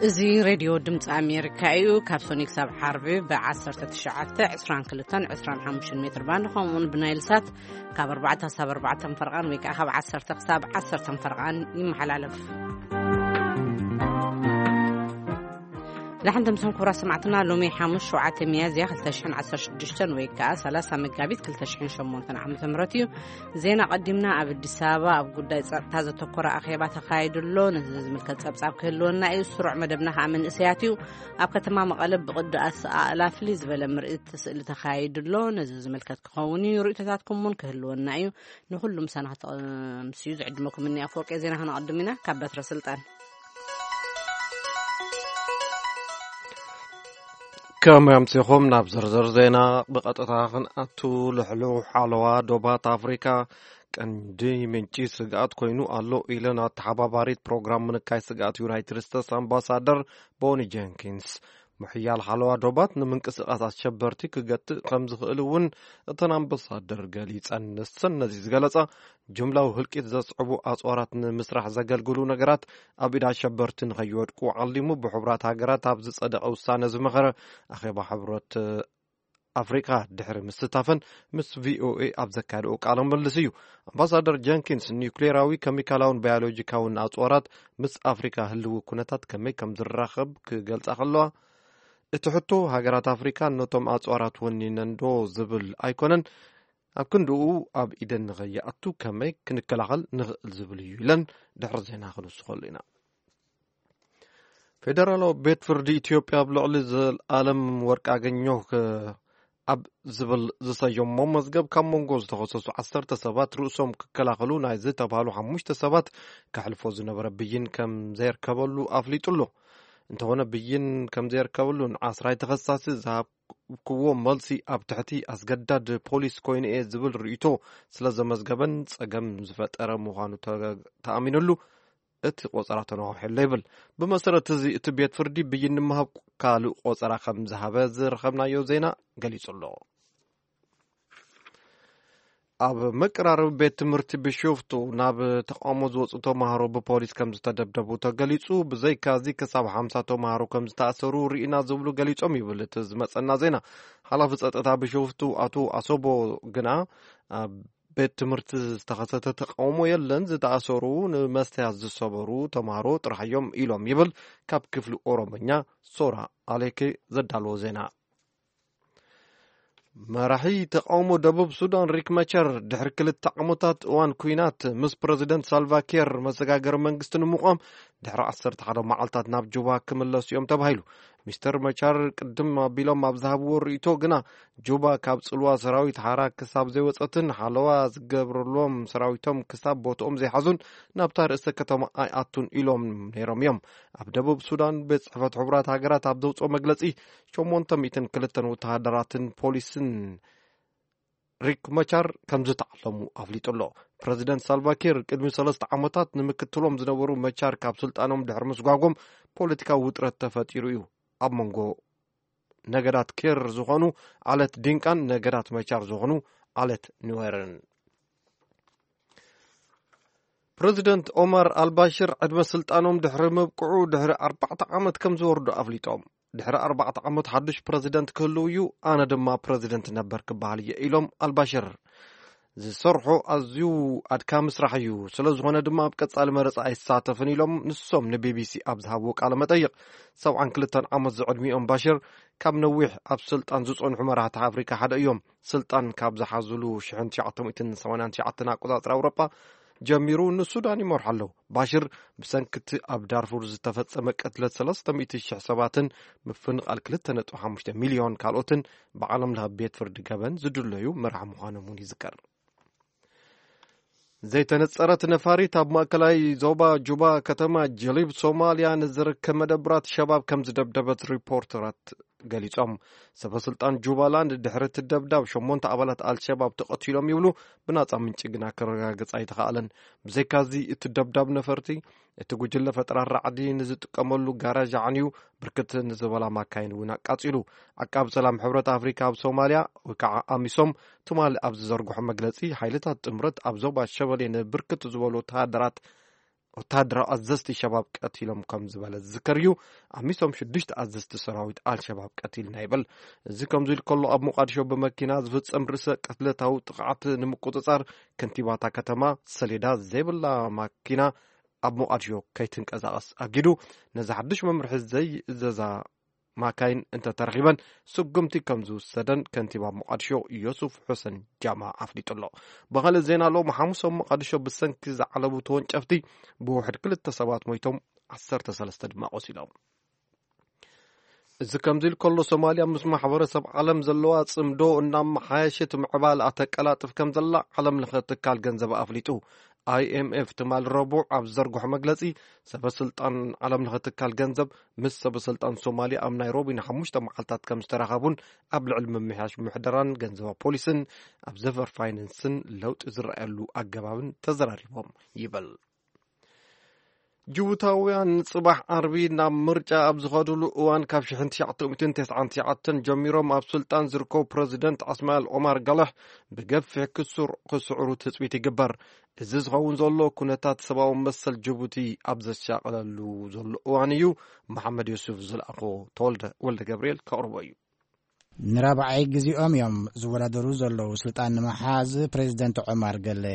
እዚ ሬድዮ ድምፂ ኣሜሪካ እዩ። ካብ ሶኒ ክሳብ ዓርቢ ብ19፣ 22፣ 25 ሜትር ባንድ፣ ከምኡውን ብናይል ሳት ካብ ኣርባዕተ ክሳብ ኣርባዕተ ፈርቓን ወይ ከዓ ካብ ዓሰርተ ክሳብ ዓሰርተ ፈርቓን ይመሓላለፍ። ንሕንትምስም ክቡራት ሰማዕትና፣ ሎሚ ሓሙስ ሸውዓተ ሚያዝያ ክልተ ሽሕን ዓሰርተ ሽዱሽተን ወይ ከዓ ሰላሳ መጋቢት ክልተ ሽሕን ሸሞንተን ዓመተ ምህረት እዩ። ዜና ቀዲምና። ኣብ ኣዲስ ኣበባ ኣብ ጉዳይ ጸጥታ ዘተኮረ ኣኼባ ተኻይዱ ኣሎ። ነዚ ዝምልከት ጸብጻብ ክህልወና እዩ። ስሩዕ መደብና ከዓ መንእሰያት እዩ። ኣብ ከተማ መቐለ ብቕዲ ኣሰኣእላ ፍልይ ዝበለ ምርኢት ስእሊ ተኻይዱ ኣሎ። ነዚ ዝምልከት ክኸውን እዩ። ርእይቶታትኩም እውን ክህልወና እዩ። ንኹሉ ምሳና ከተምስዩ ዝዕድመኩም እኒ ኣፈወርቂ። ዜና ከነቐድም ኢና። ካብ በትረ ስልጣን። ከመይ ኣምሲኹም? ናብ ዝርዝር ዜና ብቐጥታ ክንኣቱ። ልሕሉሕ ሓለዋ ዶባት ኣፍሪካ ቀንዲ ምንጪ ስግኣት ኮይኑ ኣሎ ኢለን ኣተሓባባሪት ፕሮግራም ምንካይ ስግኣት ዩናይትድ ስቴትስ ኣምባሳደር ቦኒ ጀንኪንስ። ምሕያል ሓለዋ ዶባት ንምንቅስቓስ ኣሸበርቲ ክገትእ ከም ዝኽእል እውን እተን ኣምባሳደር ገሊጸን። ንሰን ነዚ ዝገለጻ፣ ጅምላዊ ህልቂት ዘስዕቡ ኣጽዋራት ንምስራሕ ዘገልግሉ ነገራት ኣብ ኢድ ኣሸበርቲ ንኸይወድቁ ዓሊሙ ብሕቡራት ሃገራት ኣብ ዝጸደቐ ውሳነ ዝመኸረ ኣኼባ ሕብረት ኣፍሪካ ድሕሪ ምስታፈን ምስ ቪኦኤ ኣብ ዘካየደኦ ቃለ ምልልስ እዩ። ኣምባሳደር ጀንኪንስ ኒውክሌራዊ፣ ኬሚካላውን ባዮሎጂካውን ኣጽዋራት ምስ ኣፍሪካ ህልዊ ኩነታት ከመይ ከም ዝራኸብ ክገልጻ ከለዋ፣ እቲ ሕቶ ሃገራት ኣፍሪካ ነቶም ኣጽዋራት ወኒነን ዶ ዝብል ኣይኮነን፣ ኣብ ክንድኡ ኣብ ኢደን ንኸይኣቱ ከመይ ክንከላኸል ንኽእል ዝብል እዩ ኢለን ድሕሪ ዜና ክንውስኸሉ ኢና። ፌደራላዊ ቤት ፍርዲ ኢትዮጵያ ኣብ ልዕሊ ዘልኣለም ወርቅኣገኘሁ ከ-፣ ኣብ ዝብል ዝሰየሞ መዝገብ ካብ መንጎ ዝተኸሰሱ ዓሰርተ ሰባት ርእሶም ክከላኸሉ ናይ ዝተባህሉ ሓሙሽተ ሰባት ከሕልፎ ዝነበረ ብይን ከም ዘየርከበሉ ኣፍሊጡ ኣሎ። እንተኾነ ብይን ከም ዘየርከበሉን ዓስራይ ተኸሳሲ ዝሃብክዎ መልሲ ኣብ ትሕቲ ኣስገዳድ ፖሊስ ኮይኑ እየ ዝብል ርእይቶ ስለ ዘመዝገበን ጸገም ዝፈጠረ ምዃኑ ተ-፣ ተኣሚኑሉ እቲ ቆጸራ ተነዋውሐሎ ይብል። ብመሰረት እዚ እቲ ቤት ፍርዲ ብይን ንምሃብ ካልእ ቆጸራ ከም ዝሃበ ዝረኸብናዮ ዜና ገሊጹ ኣሎ። ኣብ መቀራረቢ ቤት ትምህርቲ ቢሾፍቱ ናብ ተቃውሞ ዝወፁ ተምሃሮ ብፖሊስ ከም ዝተደብደቡ ተገሊጹ። ብዘይካዚ ክሳብ ሓምሳ ተምሃሮ ከም ዝተኣሰሩ ርኢና ዝብሉ ገሊጾም ይብል እቲ ዝመጸና ዜና። ሓላፊ ጸጥታ ቢሾፍቱ ኣቶ ኣሶቦ ግና ኣብ ቤት ትምህርቲ ዝተኸሰተ ተቃውሞ የለን፣ ዝተኣሰሩ ንመስተያ ዝሰበሩ ተምሃሮ ጥራሕ እዮም ኢሎም ይብል ካብ ክፍሊ ኦሮሞኛ ሶራ ኣሌኬ ዘዳለዎ ዜና። መራሒ ተቃውሞ ደቡብ ሱዳን ሪክ መቸር ድሕሪ ክልተ ዓመታት እዋን ኩናት ምስ ፕረዚደንት ሳልቫ ኪር መሰጋገሪ መንግስቲ ንምቋም ድሕሪ ዓሰርተ ሓደ መዓልታት ናብ ጁባ ክምለሱ እዮም ተባሂሉ። ሚስተር መቻር ቅድም ኣቢሎም ኣብ ዝሃብዎ ርእይቶ ግና ጁባ ካብ ጽልዋ ሰራዊት ሓራ ክሳብ ዘይወጸትን ሓለዋ ዝገብረሎም ሰራዊቶም ክሳብ ቦትኦም ዘይሓዙን ናብታ ርእሰ ከተማ ኣይኣቱን ኢሎም ነይሮም እዮም። ኣብ ደቡብ ሱዳን ቤት ጽሕፈት ሕቡራት ሃገራት ኣብ ዘውጽኦ መግለጺ ሸሞንተ ሚእትን ክልተን ወተሃደራትን ፖሊስን ሪክ መቻር ከም ዝተዓለሙ ኣፍሊጡ ኣሎ። ፕረዚደንት ሳልቫኪር ቅድሚ ሰለስተ ዓመታት ንምክትሎም ዝነበሩ መቻር ካብ ስልጣኖም ድሕሪ ምስጓጎም ፖለቲካዊ ውጥረት ተፈጢሩ እዩ። ኣብ መንጎ ነገዳት ኬር ዝኾኑ ዓለት ዲንቃን ነገዳት መቻር ዝኾኑ ዓለት ኑዌርን። ፕረዚደንት ኦማር ኣልባሽር ዕድመ ስልጣኖም ድሕሪ ምብቅዑ ድሕሪ ኣርባዕተ ዓመት ከም ዝወርዱ ኣፍሊጦም። ድሕሪ ኣርባዕተ ዓመት ሓዱሽ ፕረዚደንት ክህልው እዩ፣ ኣነ ድማ ፕረዚደንት ነበር ክበሃል እየ ኢሎም ኣልባሽር። ዝሰርሖ ኣዝዩ ኣድካሚ ስራሕ እዩ፣ ስለ ዝኾነ ድማ ኣብ ቀጻሊ መረጻ ኣይሳተፍን ኢሎም ንሶም ንቢቢሲ ኣብ ዝሃብዎ ቃለ መጠይቕ። ሰብዓን ክልተን ዓመት ዝዕድሚኦም ባሽር ካብ ነዊሕ ኣብ ስልጣን ዝጸንሑ መራሕቲ ኣፍሪካ ሓደ እዮም። ስልጣን ካብ ዝሓዝሉ ሽሕን ትሽዓተ ሚእትን ሰማንያን ትሽዓተን ኣቆጻጽራ ኣውሮጳ ጀሚሩ ንሱዳን ይመርሑ ኣለዉ። ባሽር ብሰንኪ እቲ ኣብ ዳርፉር ዝተፈጸመ ቅትለት ሰለስተ ሚእቲ ሽሕ ሰባትን ምፍንቓል ክልተ ነጥቢ ሓሙሽተ ሚልዮን ካልኦትን ብዓለም ለኸ ቤት ፍርዲ ገበን ዝድለዩ መራሒ ምዃኖም እውን ይዝከር። ዘይተነጸረት ነፋሪት ኣብ ማእከላይ ዞባ ጁባ ከተማ ጀሊብ ሶማልያ ንዝርከብ መደብራት ሸባብ ከም ዝደብደበት ሪፖርተራት ገሊጾም። ሰበ ስልጣን ጁባላንድ ድሕሪ እቲ ደብዳብ ሸሞንተ ኣባላት ኣልሸባብ ተቐቲሎም ይብሉ፣ ብናጻ ምንጪ ግና ክረጋገጽ ኣይተኻእለን። ብዘይካዚ እቲ ደብዳብ ነፈርቲ እቲ ጉጅለ ፈጠራ ራዕዲ ንዝጥቀመሉ ጋራዥ ኣዕንዩ፣ ብርክት ንዝበላ ማካይን እውን ኣቃጺሉ። ዓቃብ ሰላም ሕብረት ኣፍሪካ ኣብ ሶማልያ ወይ ከዓ ኣሚሶም ትማሊ ኣብ ዝዘርግሖ መግለጺ፣ ሓይልታት ጥምረት ኣብ ዞባ ሸበሌ ንብርክት ዝበሉ ወተሃደራት ወተሃደራዊ ኣዘዝቲ ሸባብ ቀቲሎም ከም ዝበለ ዝዝከር እዩ። ኣሚሶም ሽዱሽተ ኣዘዝቲ ሰራዊት ኣልሸባብ ቀቲልና ይብል። እዚ ከምዚ ኢሉ ከሎ፣ ኣብ ሞቃዲሾ ብመኪና ዝፍጸም ርእሰ ቅትለታዊ ጥቕዓት ንምቁጽጻር፣ ከንቲባታ ከተማ ሰሌዳ ዘይብላ ማኪና ኣብ ሞቃዲሾ ከይትንቀሳቐስ ኣጊዱ። ነዚ ሓድሽ መምርሒ ዘይእዘዛ ማካይን እንተተረኺበን፣ ስጉምቲ ከም ዝውሰደን ከንቲባ ሞቃዲሾ ዮሱፍ ሑሰን ጃማ ኣፍሊጡ ኣሎ። ብኻልእ ዜና፣ ሎሚ ሓሙስ ኣብ ሞቃዲሾ ብሰንኪ ዝዓለቡ ተወንጨፍቲ ብውሕድ ክልተ ሰባት ሞይቶም፣ ዓሰርተ ሰለስተ ድማ ቆሲሎም። እዚ ከምዚ ኢሉ ከሎ፣ ሶማልያ ምስ ማሕበረሰብ ዓለም ዘለዋ ጽምዶ እናመሓየሸት ምዕባል ኣተቀላጥፍ ከም ዘላ ዓለም ለኸ ትካል ገንዘብ ኣፍሊጡ። ኣይኤምኤፍ ትማል ረቡዕ ኣብ ዘርግሖ መግለጺ፣ ሰበ ስልጣን ዓለም ለኸ ትካል ገንዘብ ምስ ሰበ ስልጣን ሶማልያ ኣብ ናይሮቢ ንሓሙሽተ መዓልታት ከም ዝተራኸቡን ኣብ ልዕሊ ምምሕያሽ ምሕደራን ገንዘባዊ ፖሊስን ኣብ ዘፈር ፋይናንስን ለውጢ ዝረኣየሉ ኣገባብን ተዘራሪቦም ይብል። ጅቡታውያን ጽባሕ ዓርቢ ናብ ምርጫ ኣብ ዝኸድሉ እዋን፣ ካብ ሽሕን ትሽዓተ ሚእትን ተስዓን ትሽዓተን ጀሚሮም ኣብ ስልጣን ዝርከቡ ፕረዚደንት እስማኤል ኦማር ጋለሕ ብገፊሕ ክስር-፣ ክስዕሩ ትጽቢት ይግበር። እዚ ዝኸውን ዘሎ፣ ኩነታት ሰብኣዊ መሰል ጅቡቲ ኣብ ዘሻቕለሉ ዘሎ እዋን እዩ። መሓመድ ዮሱፍ ዝለኣኾ ተወልደ ወልደ ገብርኤል ከቕርቦ እዩ። ንራብዓይ ግዜኦም እዮም ዝወዳደሩ ዘለዉ። ስልጣን ንምሓዝ ፕሬዚደንት ዑማር ገለ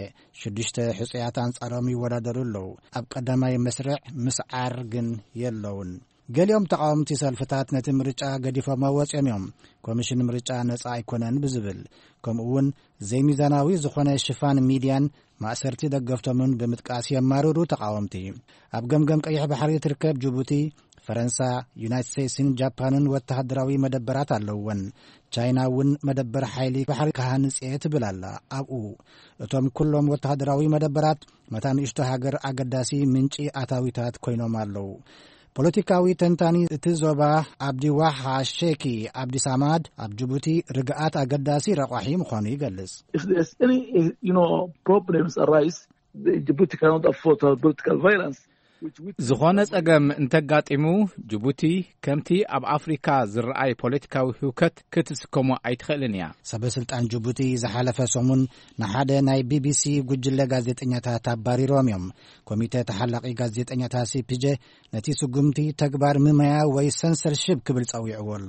ሽዱሽተ ሕጹያት ኣንጻሮም ይወዳደሩ ኣለዉ። ኣብ ቀዳማይ መስርዕ ምስዓር ግን የለውን። ገሊኦም ተቓወምቲ ሰልፍታት ነቲ ምርጫ ገዲፎሞ ወጺኦም እዮም። ኮሚሽን ምርጫ ነጻ ኣይኮነን ብዝብል፣ ከምኡ እውን ዘይሚዛናዊ ዝኾነ ሽፋን ሚድያን ማእሰርቲ ደገፍቶምን ብምጥቃስ የማርሩ ተቓወምቲ። ኣብ ገምገም ቀይሕ ባሕሪ ትርከብ ጅቡቲ፣ ፈረንሳ፣ ዩናይትድ ስቴትስን ጃፓንን ወተሃደራዊ መደበራት ኣለውወን። ቻይና እውን መደበር ሓይሊ ባሕሪ ክሃንጽ እየ ትብል ኣላ። ኣብኡ እቶም ኩሎም ወተሃደራዊ መደበራት ነታ ንእሽቶ ሃገር ኣገዳሲ ምንጪ ኣታዊታት ኮይኖም ኣለዉ። ፖለቲካዊ ተንታኒ እቲ ዞባ ኣብዲ ዋሓ ሼኪ ኣብዲ ሳማድ፣ ኣብ ጅቡቲ ርግኣት ኣገዳሲ ረቋሒ ምዃኑ ይገልጽ። If there's any, you know, problems arise, the Djibouti cannot afford to have political violence. Which we ዝኾነ ጸገም እንተጋጢሙ፣ ጅቡቲ ከምቲ ኣብ ኣፍሪካ ዝረኣይ ፖለቲካዊ ህውከት ክትስከሞ ኣይትኽእልን እያ። ሰበ ስልጣን ጅቡቲ ዝሓለፈ ሰሙን ንሓደ ናይ ቢቢሲ ጉጅለ ጋዜጠኛታት ኣባሪሮም እዮም። ኮሚተ ተሓላቒ ጋዜጠኛታት ሲፒጄ ነቲ ስጉምቲ ተግባር ምመያ ወይ ሰንሰርሺፕ ክብል ጸዊዕዎ ኣሎ።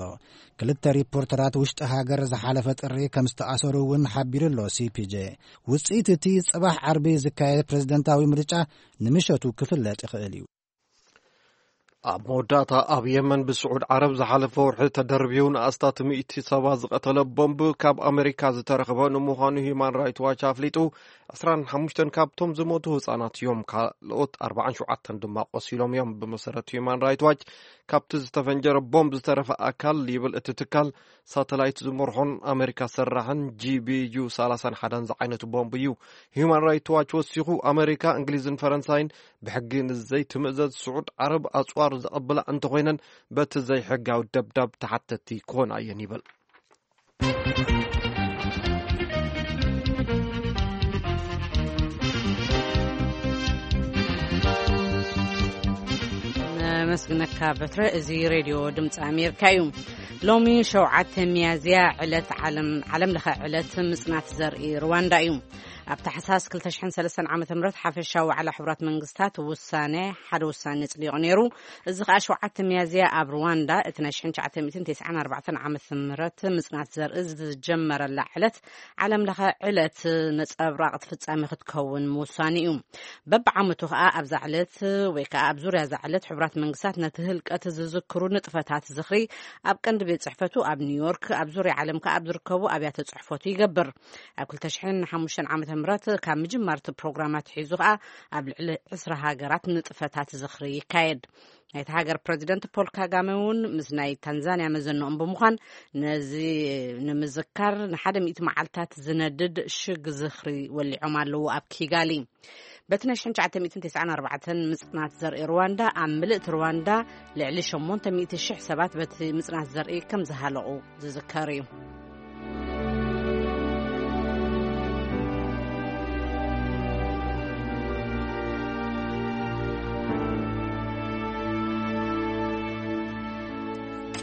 ክልተ ሪፖርተራት ውሽጢ ሃገር ዝሓለፈ ጥሪ ከም ዝተኣሰሩ እውን ሓቢሩ ኣሎ ሲፒጄ። ውጽኢት እቲ ጽባሕ ዓርቢ ዝካየድ ፕሬዝደንታዊ ምርጫ ንምሸቱ ክፍለጥ ይኽእል እዩ። ኣብ መወዳእታ፣ ኣብ የመን ብስዑድ ዓረብ ዝሓለፈ ወርሒ ተደርብዩ ንኣስታት ሚእቲ ሰባት ዝቐተለ ቦምብ ካብ ኣሜሪካ ዝተረኽበ ንምዃኑ ሂዩማን ራይት ዋች ኣፍሊጡ። ዕስራን ሓሙሽተን ካብቶም ዝሞቱ ህጻናት እዮም። ካልኦት ኣርባዓን ሸውዓተን ድማ ቆሲሎም እዮም። ብመሰረት ሂዩማን ራይት ዋች፣ ካብቲ ዝተፈንጀረ ቦምብ ዝተረፈ ኣካል ይብል እቲ ትካል፣ ሳተላይት ዝመርሖን ኣሜሪካ ሰራሕን ጂ ቢ ዩ ሰላሳን ሓደን ዝዓይነቱ ቦምብ እዩ። ሂዩማን ራይት ዋች ወሲኹ፣ ኣሜሪካ፣ እንግሊዝን ፈረንሳይን ብሕጊ ንዘይትምእዘዝ ስዑድ ዓረብ ኣጽዋር ዘቐብላ እንተኾይነን፣ በቲ ዘይሕጋዊ ደብዳብ ተሓተቲ ክኾና እየን ይብል። ነመስግነካ በትረ። እዚ ሬድዮ ድምፂ ኣሜሪካ እዩ። ሎሚ ሸውዓተ ሚያዝያ ዕለት ዓለም፣ ዓለም ለኸ ዕለት ምጽናት ዘርኢ ሩዋንዳ እዩ። ኣብ ታሕሳስ ክልተ ሽሕን ሰለስተን ዓመተ ምህረት ሓፈሻዊ ዋዕላ ሕቡራት መንግስታት ውሳነ፣ ሓደ ውሳነ ጽዲቑ ነይሩ። እዚ ኸኣ ሸውዓተ ሚያዝያ ኣብ ሩዋንዳ እቲ ናይ ሽሕን ትሽዓተ ሚእትን ተስዓን ኣርባዕተን ዓመተ ምህረት ምጽናት ዘርኢ ዝጀመረላ ዕለት ዓለም ለኸ ዕለት ነጸብራቕ እቲ ፍጻሜ ክትከውን ምውሳኑ እዩ። በብዓመቱ ኸኣ ኣብዛ ዕለት ወይ ከኣ ኣብ ዙርያ እዛ ዕለት ሕቡራት መንግስታት ነቲ ህልቀት ዝዝክሩ ንጥፈታት ዝኽሪ ኣብ ቀንዲ ቤት ጽሕፈቱ ኣብ ኒውዮርክ፣ ኣብ ዙርያ ዓለም ከኣ ኣብ ዝርከቡ ኣብያተ ጽሕፈቱ ይገብር። ኣብ ክልተ ሽሕን ሓሙሽተን ዓመተ ምህረት ካብ ምጅማር እቲ ፕሮግራም ኣትሒዙ ኸኣ ኣብ ልዕሊ ዕስራ ሃገራት ንጥፈታት ዝኽሪ ይካየድ። ናይቲ ሃገር ፕረዚደንት ፖል ካጋመ እውን ምስ ናይ ታንዛንያ መዘንኦም ብምዃን ነዚ ንምዝካር ንሓደ ሚእቲ መዓልታት ዝነድድ ሽግ ዝኽሪ ወሊዖም ኣለዉ ኣብ ኪጋሊ። በቲ ናይ ሽሕን ትሽዓተ ሚእትን ተስዓን ኣርባዕተን ምጽናት ዘርኢ ሩዋንዳ፣ ኣብ ምልእቲ ሩዋንዳ ልዕሊ ሸሞንተ ሚእቲ ሽሕ ሰባት በቲ ምጽናት ዘርኢ ከም ዝሃለቑ ዝዝከር እዩ።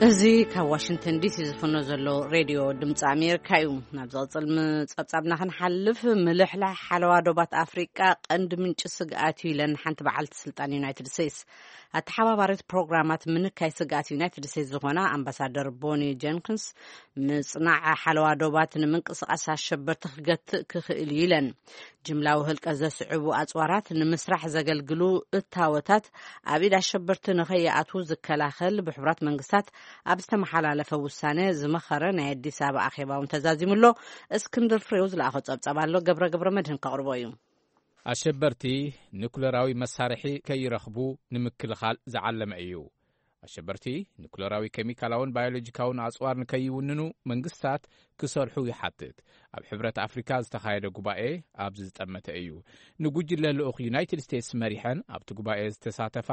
እዚ ካብ ዋሽንግተን ዲሲ ዝፍኖ ዘሎ ሬድዮ ድምፂ ኣሜሪካ እዩ። ናብ ዝቕፅል ምፀብፃብና ክንሓልፍ፣ ምልሕላሕ ሓለዋ ዶባት ኣፍሪቃ ቀንዲ ምንጪ ስግኣት እዩ ኢለን ሓንቲ በዓልቲ ስልጣን ዩናይትድ ስቴትስ። ኣተሓባባሪት ፕሮግራማት ምንካይ ስግኣት ዩናይትድ ስቴትስ ዝኾና ኣምባሳደር ቦኒ ጀንክንስ፣ ምጽናዕ ሓለዋ ዶባት ንምንቅስቓስ ኣሸበርቲ ክገትእ ክኽእል እዩ ኢለን። ጅምላዊ ህልቀት ዘስዕቡ ኣጽዋራት ንምስራሕ ዘገልግሉ እታወታት ኣብ ኢድ ኣሸበርቲ ንኸይኣትዉ ዝከላኸል ብሕቡራት መንግስታት ኣብ ዝተመሓላለፈ ውሳነ ዝመኸረ ናይ ኣዲስ ኣበባ ኣኼባ እውን ተዛዚሙ ኣሎ። እስክንድር ፍሬው ዝለኣኾ ጸብጻብ ኣሎ፣ ገብረ ገብረ መድህን ከቕርቦ እዩ። ኣሸበርቲ ኒኩለራዊ መሳርሒ ከይረኽቡ ንምክልኻል ዝዓለመ እዩ። ኣሸበርቲ ኒኩለራዊ፣ ኬሚካላውን ባዮሎጂካውን ኣጽዋር ንከይውንኑ መንግስታት ክሰርሑ ይሓትት። ኣብ ሕብረት ኣፍሪካ ዝተኻየደ ጉባኤ ኣብዚ ዝጠመተ እዩ። ንጉጅለ ልኡኽ ዩናይትድ ስቴትስ መሪሐን ኣብቲ ጉባኤ ዝተሳተፋ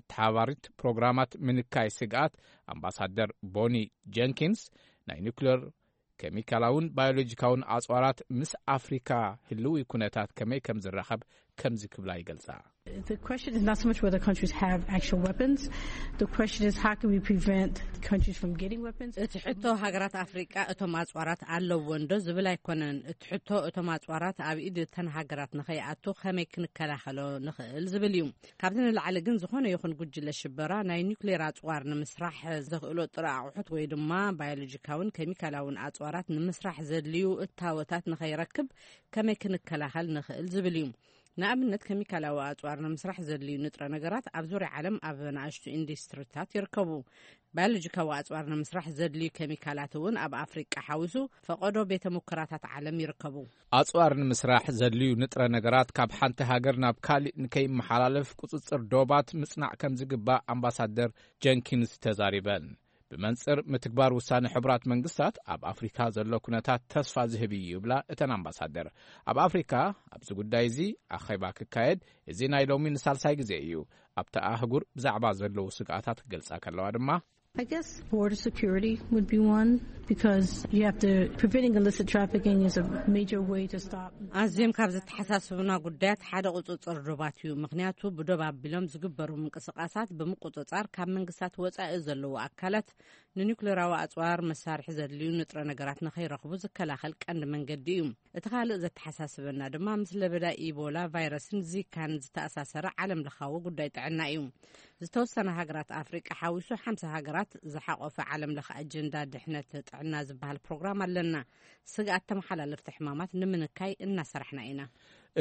ኣተሓባባሪት ፕሮግራማት ምንካይ ስግኣት ኣምባሳደር ቦኒ ጀንኪንስ፣ ናይ ኒኩለር፣ ኬሚካላውን ባዮሎጂካውን ኣጽዋራት ምስ ኣፍሪካ ህልዊ ኩነታት ከመይ ከም ዝራኸብ ከምዚ ክብላ ይገልጻ። The question is not so much whether countries have actual weapons. The question is, how can we prevent countries from getting weapons? እቲ ሕቶ ሃገራት ኣፍሪቃ እቶም ኣጽዋራት ኣለዎም ዶ ዝብል ኣይኮነን። እቲ ሕቶ እቶም ኣጽዋራት ኣብ ኢድ እተን ሃገራት ንኸይኣቱ ከመይ ክንከላኸሎ ንኽእል ዝብል እዩ። ካብዚ ንላዕሊ ግን ዝኾነ ይኹን ጉጅለ ሽበራ ናይ ኒውክሌር ኣጽዋር ንምስራሕ ዘኽእሎ ጥረ ኣቑሑት ወይ ድማ ባዮሎጂካውን ኬሚካላውን ኣጽዋራት ንምስራሕ ዘድልዩ እታወታት ንኸይረክብ ከመይ ክንከላኸል ንኽእል ዝብል እዩ። ንኣብነት፣ ኬሚካላዊ ኣጽዋር ንምስራሕ ዘድልዩ ንጥረ ነገራት ኣብ ዙርያ ዓለም ኣብ ንኣሽቱ ኢንዱስትሪታት ይርከቡ። ባዮሎጂካዊ ኣጽዋር ንምስራሕ ዘድልዩ ኬሚካላት እውን ኣብ ኣፍሪቃ ሓዊሱ ፈቐዶ ቤተ ሙከራታት ዓለም ይርከቡ። ኣጽዋር ንምስራሕ ዘድልዩ ንጥረ ነገራት ካብ ሓንቲ ሃገር ናብ ካሊእ ንከይመሓላለፍ ቁጽጽር ዶባት ምጽናዕ ከም ዝግባእ ኣምባሳደር ጀንኪንስ ተዛሪበን። ብመንጽር ምትግባር ውሳነ ሕቡራት መንግስታት ኣብ ኣፍሪካ ዘሎ ኩነታት ተስፋ ዝህብ እዩ ይብላ እተን ኣምባሳደር። ኣብ ኣፍሪካ ኣብዚ ጉዳይ እዚ ኣኼባ ክካየድ፣ እዚ ናይ ሎሚ ንሳልሳይ ግዜ እዩ። ኣብቲ ኣህጉር ብዛዕባ ዘለዉ ስግኣታት ክገልጻ ከለዋ ድማ፣ I guess border security would be one, because you have to, preventing illicit trafficking is a major way to stop. ኣዝዮም ካብ ዘተሓሳስቡና ጉዳያት ሓደ ቁጽጽር ዶባት እዩ። ምኽንያቱ ብዶብ ኣቢሎም ዝግበሩ ምንቅስቓሳት ብምቁጽጻር ካብ መንግስታት ወጻኢ ዘለዉ ኣካላት ንኒውክሌራዊ ኣጽዋር መሳርሒ ዘድልዩ ንጥረ ነገራት ንኸይረኽቡ ዝከላኸል ቀንዲ መንገዲ እዩ። እቲ ካልእ ዘተሓሳስበና ድማ ምስ ለበዳ ኢቦላ ቫይረስን ዚካን ዝተኣሳሰረ ዓለም ለኻዊ ጉዳይ ጥዕና እዩ። ዝተወሰነ ሃገራት ኣፍሪቃ ሓዊሱ ሓምሳ ሃገራት ዝሓቆፈ ዓለም ለኸ ኣጀንዳ ድሕነት ጥዕና ዝበሃል ፕሮግራም ኣለና። ስግኣት ተመሓላለፍቲ ሕማማት ንምንካይ እናሰራሕና ኢና።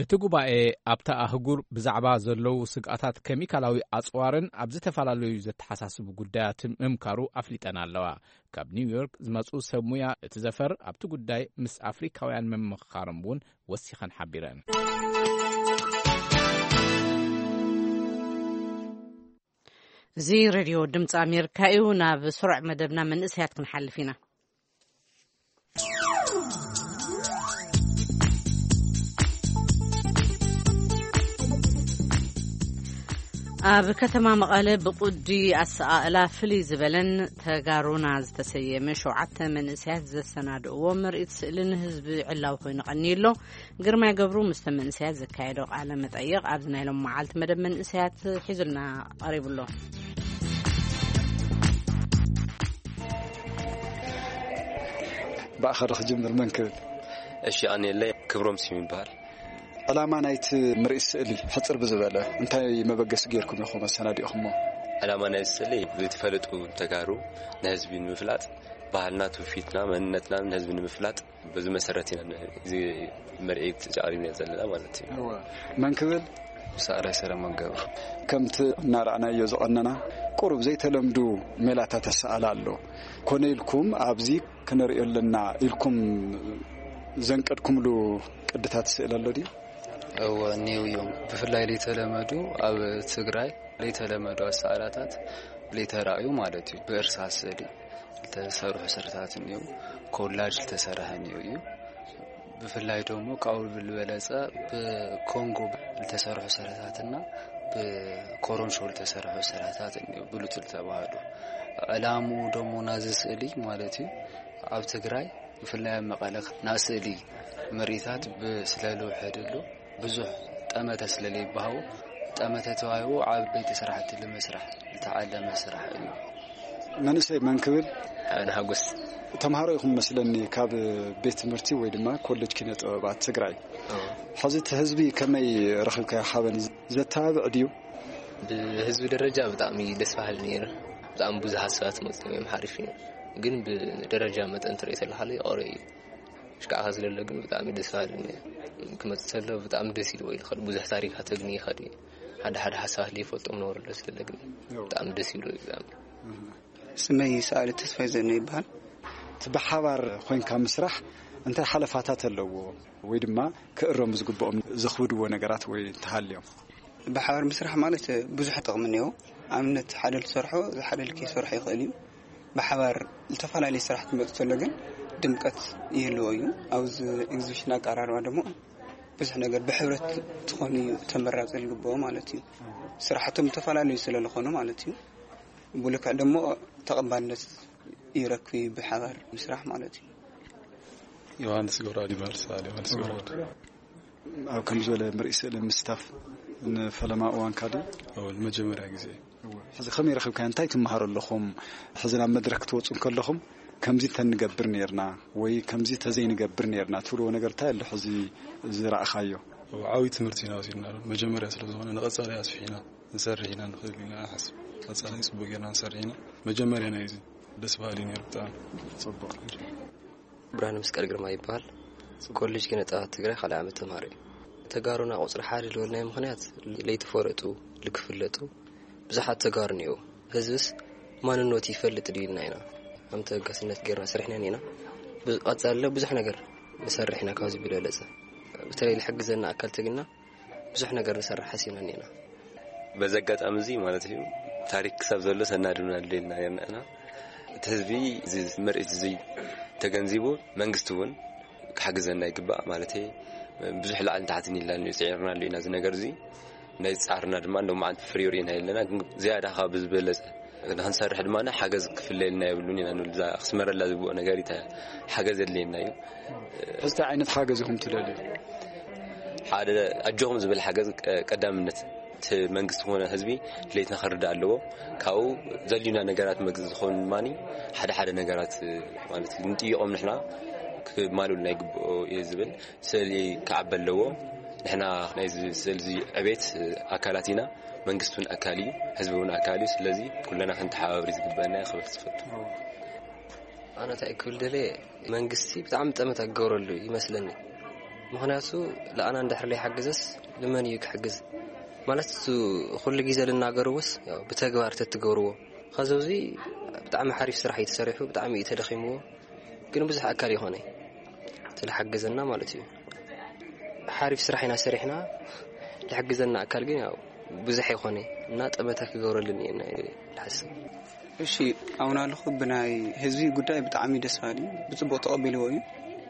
እቲ ጉባኤ ኣብታ ኣህጉር ብዛዕባ ዘለዉ ስግኣታት ኬሚካላዊ ኣጽዋርን ኣብ ዝተፈላለዩ ዘተሓሳስቡ ጉዳያትን ምምካሩ ኣፍሊጠን ኣለዋ። ካብ ኒውዮርክ ዝመጹ ሰብ ሙያ እቲ ዘፈር ኣብቲ ጉዳይ ምስ ኣፍሪካውያን ምምኽኻሮም እውን ወሲኸን ሓቢረን። እዚ ሬድዮ ድምፂ ኣሜሪካ እዩ። ናብ ስሩዕ መደብና መንእሰያት ክንሓልፍ ኢና። ኣብ ከተማ መቐለ ብቁዲ ኣሰቓቕላ ፍልይ ዝበለን ተጋሩና ዝተሰየመ ሸውዓተ መንእሰያት ዘሰናድእዎ ምርኢት ስእሊ ንህዝቢ ዕላዊ ኮይኑ ቀንዩ ኣሎ። ግርማይ ገብሩ ምስቶም መንእሰያት ዘካየዶ ቃለ መጠይቕ ኣብዚ ናይ ሎም መዓልቲ መደብ መንእሰያት ሒዙልና ቀሪቡ ኣሎ። ብኣኻ ዶ ክጅምር? መን ክብል? እሺ፣ ኣነ የለ ክብሮም ስም ይበሃል። ዕላማ ናይቲ ምርኢት ስእሊ ሕጽር ብዝበለ እንታይ መበገሲ ጌርኩም ኢኹም ኣሰናዲእኹሞ? ዕላማ ናይ ስእሊ ዘይተፈለጡ ተጋሩ ንህዝቢ ንምፍላጥ፣ ባህልና፣ ትውፊትና፣ መንነትና ንህዝቢ ንምፍላጥ በዚ መሰረት ኢና እዚ ምርኢት ኣቕሪብና ዘለና ማለት እዩ። እወ። መን ክብል? ሰኣላይ ሰለሞን ገብሩ። ከምቲ እናረኣናዮ ዝቐነና ቁሩብ ዘይተለምዱ ሜላታት ኣሰኣላ ኣሎ። ኮነ ኢልኩም ኣብዚ ክንርእዮ ኣለና ኢልኩም ዘንቀድኩምሉ ቅድታት ስእል ኣሎ ድዩ? እወ፣ እኔው እዮም። ብፍላይ ለይተለመዱ፣ ኣብ ትግራይ ለይተለመዱ ኣሰኣላታት ለይተራእዩ ማለት እዩ። ብእርሳስ ስእሊ ዝተሰርሑ ስርታት እኒው፣ ኮላጅ ዝተሰርሐ እኒው እዩ። ብፍላይ ደግሞ ካብኡ ብልበለጸ ብኮንጎ ዝተሰርሑ ስርታትና ብኮሮንሾ ዝተሰርሑ ስርታት እኒው ብሉጽ ዝተባህሉ። ዕላምኡ ደግሞ ናዚ ስእሊ ማለት እዩ ኣብ ትግራይ ብፍላይ ኣብ መቐለ ናይ ስእሊ ምርኢታት ብ-፣ ስለ ልውሕድሉ ብዙሕ ጠመተ ስለ ለይበሃው ጠመተ ተዋሂቡ ዓበይቲ ስራሕቲ ልምስራሕ ዝተዓለመ ስራሕ እዩ። መንእሰይ መን ክብል? ሓበን ሓጎስ። ተምሃሮ ኢኹም መስለኒ ካብ ቤት ትምህርቲ ወይ ድማ ኮሌጅ ኪነ ጥበባት ትግራይ። ሕዚ እቲ ህዝቢ ከመይ ረኺብካዮ ሓበን? ዘተባብዕ ድዩ? ብህዝቢ ደረጃ ብጣዕሚ ደስ በሃሊ ነይሩ። ብጣዕሚ ብዙሓት ሰባት መፅዮም እዮም፣ ሓሪፍ እዩ። ግን ብደረጃ መጠን ትርኢ ተለካ ይቐረ እዩ። ሽካዕካ ስለለ ግን ብጣዕሚ ደስ በሃሊ ነይሩ። ክመፅእ ተሎ ብጣዕሚ ደስ ኢልዎ እዩ። ብዙሕ ታሪካት ግን ይኸድ እዩ። ሓደ ሓደ ሓሳባት ዘይፈልጦም ነበሩ ስለ ግን ብጣዕሚ ደስ ይብሉ። ብጣዕሚ ስመይ ሰኣሊ ተስፋይ ዘነ ይበሃል። እቲ ብሓባር ኮይንካ ምስራሕ እንታይ ሓለፋታት ኣለዎ? ወይ ድማ ክእረሙ ዝግብኦም ዘኽብድዎ ነገራት ወይ እንተሃልዮም? ብሓባር ምስራሕ ማለት ብዙሕ ጥቕሚ እኒኦ። ኣብነት ሓደ ዝሰርሖ ሓደ ልክ ይሰርሖ ይኽእል እዩ። ብሓባር ዝተፈላለዩ ስራሕ ክመፅ ተሎ ግን ድምቀት ይህልዎ እዩ። ኣብዚ ኤግዚቢሽን ኣቀራርባ ደግሞ ብዙሕ ነገር ብሕብረት ትኾኑ እዩ ተመራፂ ዝግብኦ ማለት እዩ። ስራሕቶም ዝተፈላለዩ ስለ ዝኾኑ ማለት እዩ። ብልክዕ ደሞ ተቐባልነት ይረክብ እዩ ብሓባር ምስራሕ ማለት እዩ። ዮሃንስ ገብረኣብ ይበሃል። ሰኣሊ ዮሃንስ ገብረኣብ። ኣብ ከም ዝበለ ምርኢ ስእሊ ምስታፍ ንፈለማ እዋንካ ድዩ? ንመጀመርያ ግዜ። ሕዚ ከመይ ረኺብካ? እንታይ ትመሃሩ ኣለኹም? ሕዚ ናብ መድረክ ክትወፁ እንከለኹም ከምዚ እንተንገብር ነርና ወይ ከምዚ ተዘይንገብር ነርና ትብልዎ ነገር እንታይ ኣሎ? ሕዚ ዝረእኻዮ ዓብይ ትምህርቲ ኢና ወሲድና። መጀመርያ ስለ ዝኾነ ንቐፃሊ ኣስፊሕና ንሰርሕ ኢና ንኽእል ኢና ሓስብ። ቀፃሊ ፅቡቅ ጌርና ንሰርሕ ኢና። መጀመርያ ናይ እዚ ደስ በሃሊ ነይሩ ብጣዕሚ። ጽቡቅ። ብርሃነ መስቀል ግርማ ይበሃል። ኮሌጅ ኪነ ጥበባት ትግራይ ካልኣይ ዓመት ተምሃሮ እዩ። ተጋሩና ቁፅሪ ሓደ ዝበልናዮ ምኽንያት ለይተፈለጡ ልክፍለጡ ብዙሓት ተጋሩ እኒአው። ህዝብስ ማንነቱ ይፈልጥ ድዩ ኢልና ኢና። ከም ተገስነት ጌርና ሰሪሕና ኢና። ቀፃለ ብዙሕ ነገር ንሰርሕ ኢና። ካብዚ ብለለፀ በተለይ ልሕግዘና ኣካል ተግና ብዙሕ ነገር ንሰርሕ ሓሲብና እኒና። በዚ ኣጋጣሚ እዚ ማለት እዩ ታሪክ ክሳብ ዘሎ ሰናድና ኣለና የርናና እቲ ህዝቢ እዚ ምርኢት እዚ ተገንዚቡ መንግስቲ እውን ክሓግዘና ይግባእ ማለት ብዙሕ ላዕልን ታሕትን ኢልና እዩ ፅዒርና ኣሎ ኢና እዚ ነገር እዚ ናይ ፃርና ድማ እንደ መዓልቲ ፍሪ ርኢና የለና ግን ዝያዳ ካብ ዝበለፀ ንክንሰርሕ ድማ ሓገዝ ክፍለየልና የብሉን ኢና ንብል እዛ ክስመረላ ዝግብኦ ነገር ሓገዝ የድልየና እዩ ሕዝቲ ዓይነት ሓገዝ ኢኹም ትደልዩ ሓደ ኣጆኹም ዝብል ሓገዝ ቀዳምነት እቲ መንግስቲ ኾነ ህዝቢ ድሌትና ክርዳእ ኣለዎ ካብኡ ዘልዩና ነገራት መግዝ ዝኾኑ ድማ ሓደ ሓደ ነገራት ማለት ንጥይቆም ንሕና ክማሉልና ይግብኦ እየ ዝብል ስእሊ ክዓበ ኣለዎ ንሕና ናይ ስእሊ ዕቤት ኣካላት ኢና መንግስቲ እውን ኣካል እዩ ህዝቢ እውን ኣካል እዩ ስለዚ ኩለና ክንተሓባብር ዝግበአና ክብል ዝፈቱ ኣነ እንታይ ክብል ደለ መንግስቲ ብጣዕሚ ጠመታ ክገብረሉ ይመስለኒ ምክንያቱ ለኣና እንድሕር ለይሓገዘስ ልመን እዩ ክሕግዝ ማለት ኩሉ ግዜ ልናገርዎስ ብተግባር ተትገብርዎ ከዚ እዚ ብጣዕሚ ሓሪፍ ስራሕ እዩ ተሰሪሑ ብጣዕሚ እዩ ተደኺምዎ ግን ብዙሕ ኣካል ይኾነ ስለሓገዘና ማለት እዩ ሓሪፍ ስራሕ ኢና ሰሪሕና ዝሕግዘና ኣካል ግን ያው ብዙሕ ይኾነ እና ጠመታ ክገብረልን እየ ዝሓስብ እሺ ኣሁን ኣለኹ ብናይ ህዝቢ ጉዳይ ብጣዕሚ ደስ ባሊ ብፅቡቅ ተቐቢልዎ እዩ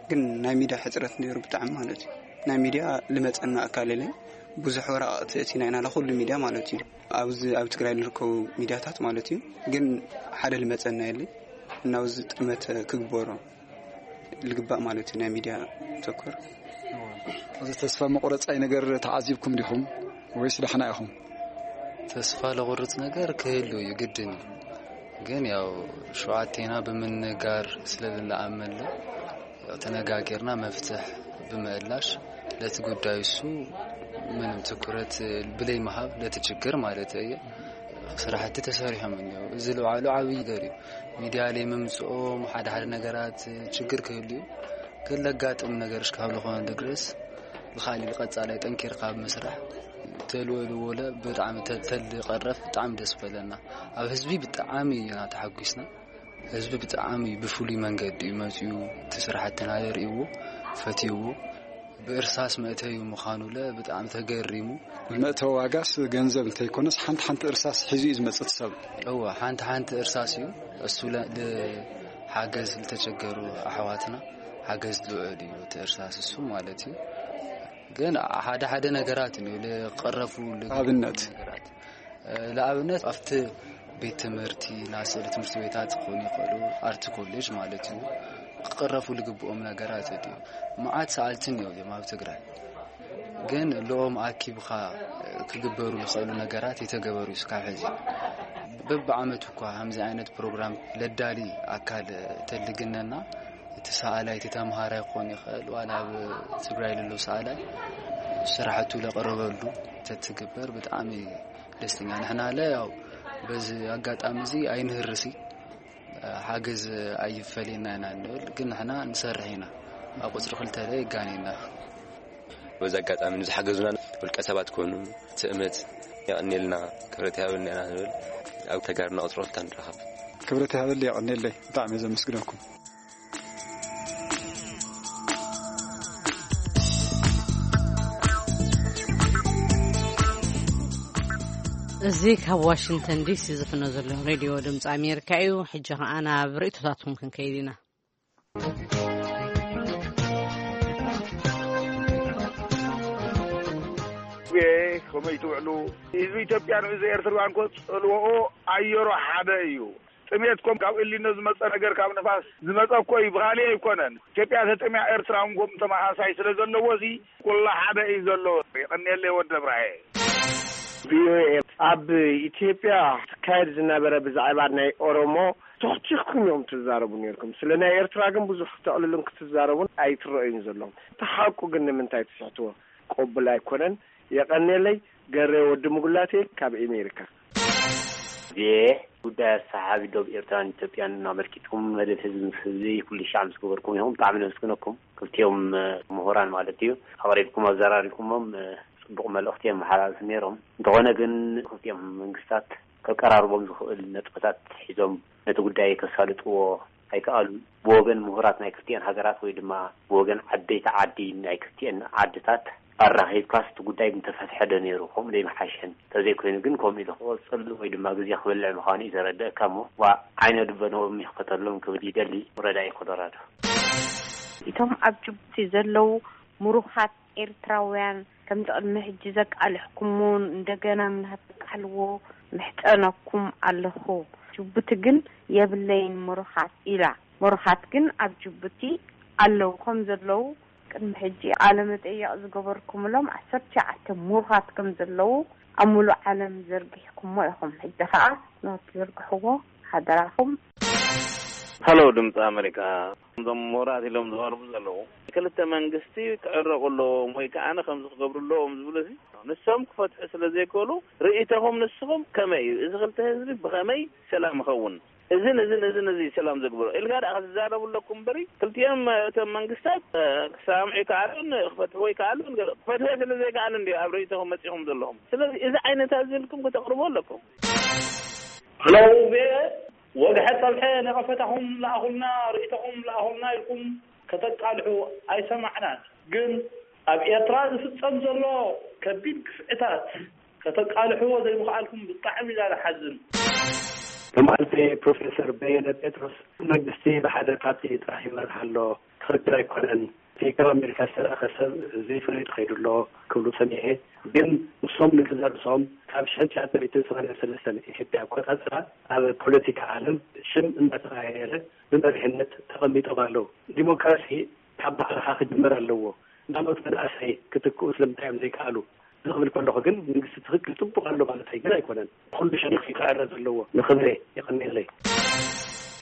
ግን ናይ ሚድያ ሕፅረት ነይሩ ብጣዕሚ ማለት እዩ ናይ ሚድያ ልመፀና ኣካል የለን ብዙሕ ወረቃቅቲ እቲና ኢና ንኩሉ ሚድያ ማለት እዩ ኣብዚ ኣብ ትግራይ ዝርከቡ ሚድያታት ማለት እዩ ግን ሓደ ልመፀና የለን እና እዚ ጥመት ክግበሮ ልግባእ ማለት እዩ ናይ ሚድያ ተኮር እዚ ተስፋ መቁረፃይ ነገር ተዓዚብኩም ዲኹም ወይስ ደሕና ኢኹም ተስፋ ለቁርፅ ነገር ክህሉ እዩ ግድን እዩ ግን ያው ሸዋቴና ብምንጋር ስለልንኣመለ ተነጋጊርና መፍትሕ ብምእላሽ ለቲ ጉዳይ እሱ ምንም ትኩረት ብለይ መሃብ ለቲ ችግር ማለት እየ ስራሕቲ ተሰሪሖም እኒው እዚ ልባዕሉ ዓብይ ነገር እዩ ሚድያ ላይ ምምፅኦም ሓደ ሓደ ነገራት ችግር ክህሉ እዩ ግን ለጋጥም ነገር እስካብ ዝኾነ ድረስ ብካሊእ ቀፃላይ ጠንኪርካ ብምስራሕ ተልወልዎ ብጣዕሚ ተልቀረፍ ብጣዕሚ ደስ በለና ኣብ ህዝቢ ብጣዕሚ ኢና ተሓጒስና ህዝቢ ብጣዕሚ ብፍሉይ መንገዲ እዩ መፅኡ እቲ ስራሕትና የርእይዎ ፈትይዎ ብእርሳስ መእተዩ ምዃኑለ ብጣዕሚ ተገሪሙ መእተዊ ዋጋስ ገንዘብ እንተይኮነስ ሓንቲ ሓንቲ እርሳስ ሒዙ እዩ ዝመፅእ ሰብ እወ ሓንቲ ሓንቲ እርሳስ እዩ እሱ ሓገዝ ዝተቸገሩ ኣሕዋትና ሓገዝ ዝውዕል እዩ እቲ እርሳስ እሱ ማለት እዩ ግን ሓደ ሓደ ነገራት እዩ ልቀረፉ ኣብነት ነገራት ንኣብነት ኣብቲ ቤት ትምህርቲ ናይ ስእሊ ትምህርቲ ቤታት ክኾኑ ይኽእሉ ኣርቲ ኮሌጅ ማለት እዩ ክቀረፉ ልግብኦም ነገራት እዩ መዓት ሰኣልትን እዮም ኣብ ትግራይ ግን ልኦም ኣኪብካ ክግበሩ ዝኽእሉ ነገራት የተገበሩ እዩ ስካብ ሕዚ በብዓመቱ እኳ ከምዚ ዓይነት ፕሮግራም ለዳሊ ኣካል ተልግነና፣ እቲ ሰኣላይ፣ እቲ ተምሃራይ ክኾን ይኽእል፣ ዋላ ኣብ ትግራይ ለሎ ሰኣላይ ስራሕቱ ለቐረበሉ ተትግበር ብጣዕሚ ደስተኛ። ንሕና ለ ያው በዚ ኣጋጣሚ እዚ ኣይንህርሲ፣ ሓገዝ ኣይፈለየና ኢና ንብል፣ ግን ንሕና ንሰርሕ ኢና። ኣብ ቁፅሪ ክልተ ለ የጋኔና። በዚ ኣጋጣሚ ንዝሓገዙና ውልቀ ሰባት ኮኑ ትእምት የቐኔልና፣ ክብረት ይሃበልና ኢና ንብል። ኣብ ተጋርና ቁፅሪ ክልተ ንረኸብ። ክብረት ይሃበል፣ የቐኔለይ። ብጣዕሚ እየ ዘመስግነኩም። እዚ ካብ ዋሽንግተን ዲሲ ዝፍኖ ዘሎ ሬድዮ ድምፂ ኣሜሪካ እዩ። ሕጂ ኸዓ ናብ ርእይቶታትኩም ክንከይድ ኢና። ከመይ ትውዕሉ? ህዝቢ ኢትዮጵያ ንህዝቢ ኤርትራውያን እኮ ጽልወኦ ኣየሮ ሓደ እዩ። ጥሜት ኮም ካብ እሊኖ ዝመጸ ነገር፣ ካብ ንፋስ ዝመጸ እኮ እዩ፣ ብኻሊእ ኣይኮነን። ኢትዮጵያ ተጠሚያ፣ ኤርትራ እውን ኮም ተመሳሳይ ስለ ዘለዎ፣ እዚ ኩላ ሓደ እዩ ዘሎ። የቐንየለይ ወዲ እብራሂም። ቪኦኤ ኣብ ኢትዮጵያ ትካየድ ዝነበረ ብዛዕባ ናይ ኦሮሞ ችኽችኽኩም እዮም ትዛረቡ ነርኩም። ስለ ናይ ኤርትራ ግን ብዙሕ ክተዕልሉን ክትዛረቡን ኣይትረእዩን ዘለኹም። እቲ ሓቁ ግን ንምንታይ ትስሕትዎ? ቅቡል ኣይኮነን። የቐንየለይ። ገሬ ወዲ ምጉላቴ ካብ ኤሜሪካ። ዜ ጉዳይ ኣሰሓቢ ዶብ ኤርትራን ኢትዮጵያን ኣመልኪትኩም መደብ ህዝቢ ምስ ህዝቢ ኩሉ ሻዕ ምስ ገበርኩም ኢኹም። ብጣዕሚ ነመስግነኩም። ክልቲኦም ምሁራን ማለት እዩ። ኣቕሪብኩም ኣዘራሪብኩሞም ጽቡቕ መልእኽቲ የመሓላልፉ ነይሮም። እንተኾነ ግን ክልቲኦም መንግስታት ከቀራርቦም ዝኽእል ነጥብታት ሒዞም ነቲ ጉዳይ ከሳልጥዎ ኣይከኣሉን። ብወገን ምሁራት ናይ ክልቲኤን ሃገራት ወይ ድማ ብወገን ዓበይቲ ዓዲ ናይ ክልቲኤን ዓድታት ኣራኺብካስ እቲ ጉዳይ ምተፈትሐ ዶ ነይሩ፣ ከምኡ ዶ ይምሓሸን? ተዘይኮይኑ ግን ከምኡ ኢሉ ክቕጽል ወይ ድማ ግዜ ክበልዕ ምዃኑ እዩ ዘረድኣካ እሞ ዋ ዓይነ ልበኖም ይኽፈተሎም ክብል ይደሊ። ረዳኢ ኮሎራዶ። እቶም ኣብ ጅቡቲ ዘለዉ ምሩኻት ኤርትራውያን ከምቲ ቅድሚ ሕጂ ዘቃልሕኩምዎ እንደገና ምናተቃልዎ ምሕጸነኩም ኣለኹ። ጅቡቲ ግን የብለይን ምሩኻት ኢላ። ምሩኻት ግን ኣብ ጅቡቲ ኣለዉ ከም ዘለዉ ቅድሚ ሕጂ ቃለ መጠየቕ ዝገበርኩምሎም ዓሰርተ ትሽዓተ ምሩኻት ከም ዘለዉ ኣብ ሙሉእ ዓለም ዘርጊሕኩሞ ኢኹም። ሕጂ ኸኣ ንኽትዝርግሕዎ ሓደራኹም። ሃሎ ድምፂ ኣመሪካ፣ እዞም ምሁራት ኢሎም ዝቐርቡ ዘለዉ ክልተ መንግስቲ ክዕረቑ ኣለዎም ወይ ከዓ ከምዚ ክገብሩ ኣለዎም ዝብሉ ሲ ንሶም ክፈትሑ ስለ ዘይክእሉ ርእይቶኹም ንስኹም ከመይ እዩ? እዚ ክልተ ህዝቢ ብኸመይ ሰላም ይኸውን? እዝን እዝን እዝን እዚ ሰላም ዘግብሮ ኢልካ ደኣ ክትዛረቡ ኣለኩም እምበሪ ክልቲኦም እቶም መንግስታት ክሰማምዑ ይከኣሉን ክፈትሕዎ ይከኣሉን ገለ ክፈትሕዎ ስለ ዘይከኣሉ እንዲ ኣብ ርእይቶኹም መፂኹም ዘለኹም። ስለዚ እዚ ዓይነት ኣዝልኩም ከተቕርቦ ኣለኩም። ሄሎ ቪኦኤ፣ ወግሐ ጸብሐ ነቐፈታኹም ለኣኹልና፣ ርእይቶኹም ለኣኹልና ኢልኩም ከተቃልሑ ኣይሰማዕናን። ግን ኣብ ኤርትራ ዝፍጸም ዘሎ ከቢድ ግፍዕታት ከተቃልሕዎ ዘይምኽኣልኩም ብጣዕሚ ኢና ንሓዝን። ትማልቲ ፕሮፌሰር በየነ ጴጥሮስ መንግስቲ ብሓደ ፓርቲ ጥራሕ ይመርሕ ኣሎ፣ ትኽክል ኣይኮነን፣ እቲ ካብ ኣሜሪካ ዝተላእኸ ሰብ ዘይፈለጡ ከይዱ ኣሎ ክብሉ ሰሚዐ። ግን ንሶም ንገዛእ ርእሶም ካብ ሽሕን ትሽዓተ ሚእትን ሰማንያን ሰለስተን ኢትዮጵያ ኣቆጻጽራ ኣብ ፖለቲካ ዓለም ሽም እንዳተቐያየረ ብመሪሕነት ተቐሚጦም ኣለዉ። ዲሞክራሲ ካብ ባዕልኻ ክጅመር ኣለዎ። እናመፁ መናእሰይ ክትክኡ ስለምንታይ እዮም ዘይከኣሉ? ዝኽብል ከለኹ ግን መንግስቲ ትኽክል ፅቡቕ ኣሎ ማለት ግን ኣይኮነን። ኩሉ ሸሪኹ ክዕረ ዘለዎ ንኽብሬ የቐንየለይ።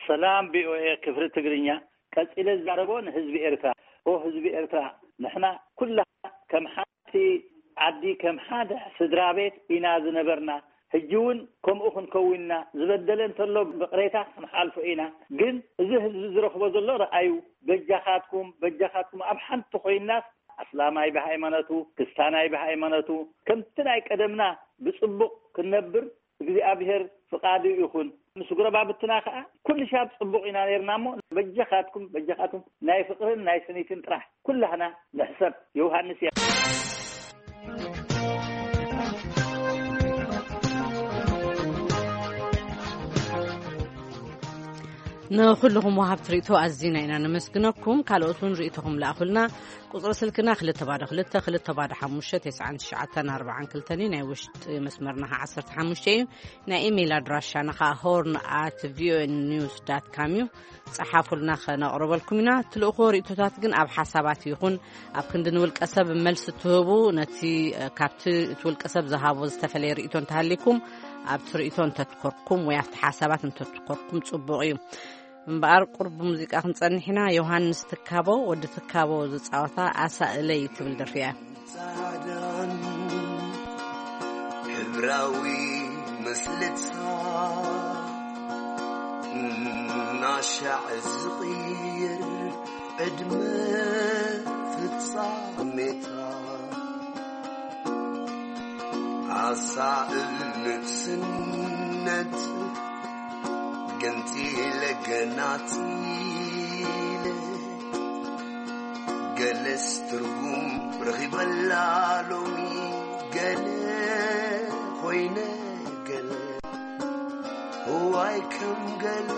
ሰላም ቪኦኤ ክፍሊ ትግርኛ፣ ቀጺለ ዝዛረቦ ንህዝቢ ኤርትራ። ኦ ህዝቢ ኤርትራ፣ ንሕና ኩላ ከም ሓንቲ ዓዲ ከም ሓደ ስድራ ቤት ኢና ዝነበርና። ሕጂ እውን ከምኡ ክንከውን ኢና። ዝበደለ እንተሎ ብቕሬታ ክንሓልፎ ኢና። ግን እዚ ህዝቢ ዝረኽቦ ዘሎ ረኣዩ። በጃኻትኩም በጃኻትኩም ኣብ ሓንቲ ኮይንናስ ኣስላማይ ብሃይማኖቱ፣ ክስታናይ ብሃይማኖቱ፣ ከምቲ ናይ ቀደምና ብጽቡቕ ክንነብር እግዚኣብሔር ፍቓዱ ይኹን። ምስ ጎረባብትና ከኣ ኩሉ ሻብ ጽቡቕ ኢና ኔርና እሞ በጃኻትኩም በጃኻትኩም ናይ ፍቕርን ናይ ስኒትን ጥራሕ ኩላህና ንሕሰብ። ዮውሃንስ እየ። ንኹልኹም ወሃብቲ ርእይቶ ኣዚና ኢና ነመስግነኩም። ካልኦት እውን ርእይቶኹም ለኣኹልና። ቁጽሪ ስልክና ክልተ ባዶ ክልተ ክልተ ባዶ ሓሙሽተ ተስዓን ትሽዓተን ኣርባዓን ክልተን እዩ። ናይ ውሽጢ መስመርና ኸዓ ዓሰርተ ሓሙሽተ እዩ። ናይ ኢሜይል ኣድራሻና ኸዓ ሆርን ኣት ቪኦኤ ኒውስ ዳት ካም እዩ። ጸሓፉልና፣ ኸነቕርበልኩም ኢና። ትልእኽዎ ርእይቶታት ግን ኣብ ሓሳባት ይኹን ኣብ ክንዲ ንውልቀ ሰብ መልሲ እትህቡ፣ ነቲ ካብቲ እቲ ውልቀ ሰብ ዝሃቦ ዝተፈለየ ርእይቶ እንተሃሊኩም ኣብቲ ርእይቶ እንተትኮርኩም ወይ ኣብቲ ሓሳባት እንተትኮርኩም ጽቡቕ እዩ። እምበኣር ቁርብ ሙዚቃ ክንጸንሕ ኢና። ዮሃንስ ትካቦ፣ ወዲ ትካቦ ዝጻወታ ኣሳእለይ ትብል ደርፊ እያ። ጻዕዳን ሕብራዊ ምስልታ እናሻዕ ዝቕይር ዕድመ ፍጻሜታ ኣሳእል ንእስነት ገንጺለ ገናጺለ ገለስ ትርጉም ረኺበላ ሎሚ ገለ ኮይነ ገለ እዋይ ከም ገለ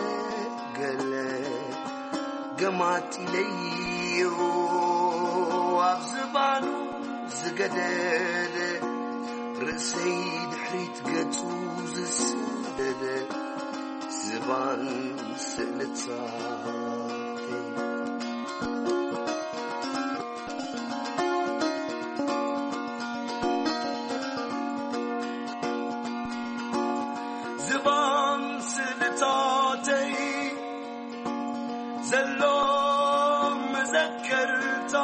ገለ ገማጢለዮ ኣብ ዝባኑ ዝገደደ ርእሰይ ድሕሪት ገጹ ዝስደደ ዝባን ስእልታተይ ዝባን ስእልታተይ ዘሎ መዘከርታ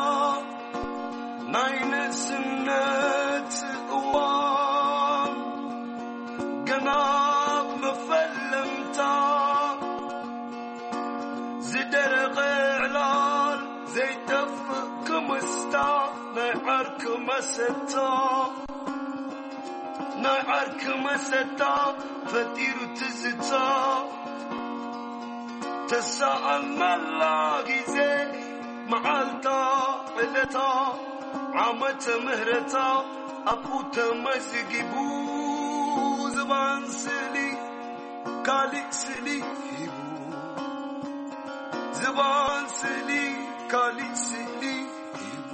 ናይ ንእስነት እዋን ገና መፈለምታ ዝደረቐ ዕላል ዘይጠፍእ ክምስታ ናይ ዓርኪ መሰታ ናይ ዓርኪ መሰታ ፈጢሩ ትዝታ ተሰኣልናላ ግዜ መዓልታ ዕለታ ዓመተ ምህረታ ኣብኡ ተመዝጊቡ ዝባን ስእሊ ካሊእ ስእሊ ሂቡ ዝባን ስእሊ ካሊእ ስእሊ ሂቡ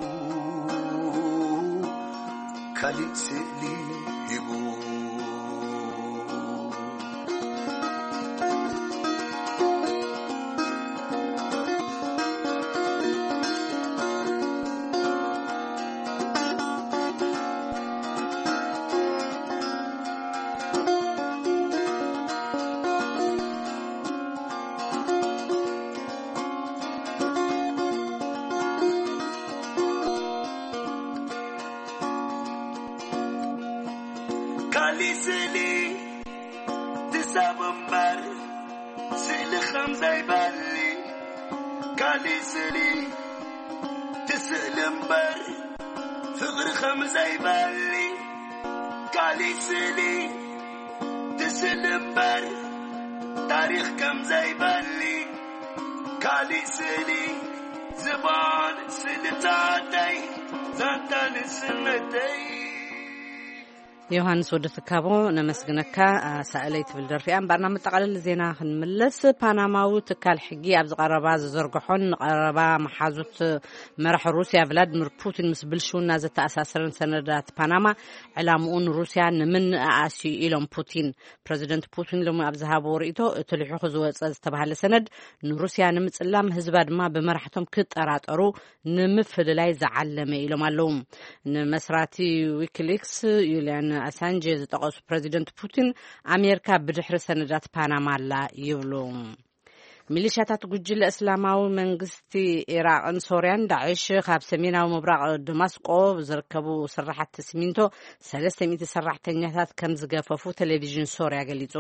ካሊእ ስእሊ ሂቡ ካሊእ ስእሊ ትሰብ እምበር ስእሊ ከም ዘይበሊ ካሊእ ስእሊ ትስእሊ እምበር ፍቕሪ ከም ዘይበሊ ካሊእ ስእሊ ትስእሊ እምበር ታሪኽ ከም ዘይበሊ ካሊእ ስእሊ ዝባን ስእልታተይ ዛንታ ንስነተይ። ዮሃንስ ወዲ ትካቦ ነመስግነካ። ኣሳእለይ ትብል ደርፊ እያ። እምበኣር ናብ መጠቓለሊ ዜና ክንምለስ፣ ፓናማዊ ትካል ሕጊ ኣብ ዝቐረባ ዝዘርግሖን ንቐረባ መሓዙት መራሕ ሩስያ ቭላድሚር ፑቲን ምስ ብልሽውና ዘተኣሳሰረን ሰነዳት ፓናማ ዕላምኡ ንሩስያ ንምንእኣስ እዩ ኢሎም ፑቲን። ፕረዚደንት ፑቲን ሎሚ ኣብ ዝሃብዎ ርእይቶ፣ እቲ ልሒኹ ዝወጸ ዝተባህለ ሰነድ ንሩስያ ንምጽላም፣ ህዝባ ድማ ብመራሕቶም ክጠራጠሩ ንምፍልላይ ዝዓለመ ኢሎም ኣለዉ። ንመስራቲ ዊኪሊክስ ዩልያን ኣሳንጀ ዝጠቐሱ ፕረዚደንት ፑቲን፣ ኣሜሪካ ብድሕሪ ሰነዳት ፓናማ ኣላ ይብሉ። ሚሊሻታት ጉጅለ እስላማዊ መንግስቲ ኢራቕን ሶርያን ዳዕሽ ካብ ሰሜናዊ ምብራቕ ደማስቆ ዝርከቡ ስራሓት ሲሚንቶ ሰለስተ ሚእቲ ሰራሕተኛታት ከም ዝገፈፉ ቴሌቪዥን ሶርያ ገሊጹ።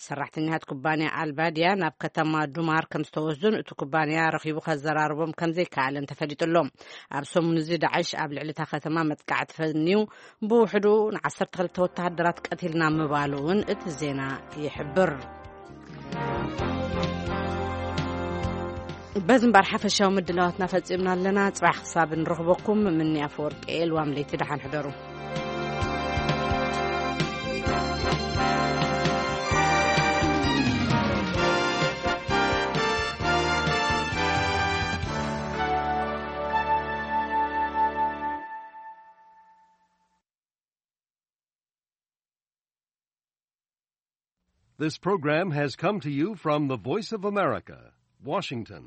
ሰራሕተኛታት ኩባንያ ኣልባድያ ናብ ከተማ ዱማር ከም ዝተወስዱን እቲ ኩባንያ ረኺቡ ከዘራርቦም ከም ዘይከኣለን ተፈሊጡ ኣሎ። ኣብ ሰሙን እዚ ዳዕሽ ኣብ ልዕሊ እታ ከተማ መጥቃዕቲ ፈንዩ ብውሕዱ ን12 ወተሃደራት ቀቲልና ምባሉ እውን እቲ ዜና ይሕብር። በዚ እምበኣር ሓፈሻዊ ምድላዋትና ፈጺምና ኣለና። ጽባሕ ክሳብ ንረኽበኩም፣ ምኒ ኣፈወርቂ ኤልዋም ለይቲ ደሓን ሕደሩ። This program has come to you from the Voice of America, Washington.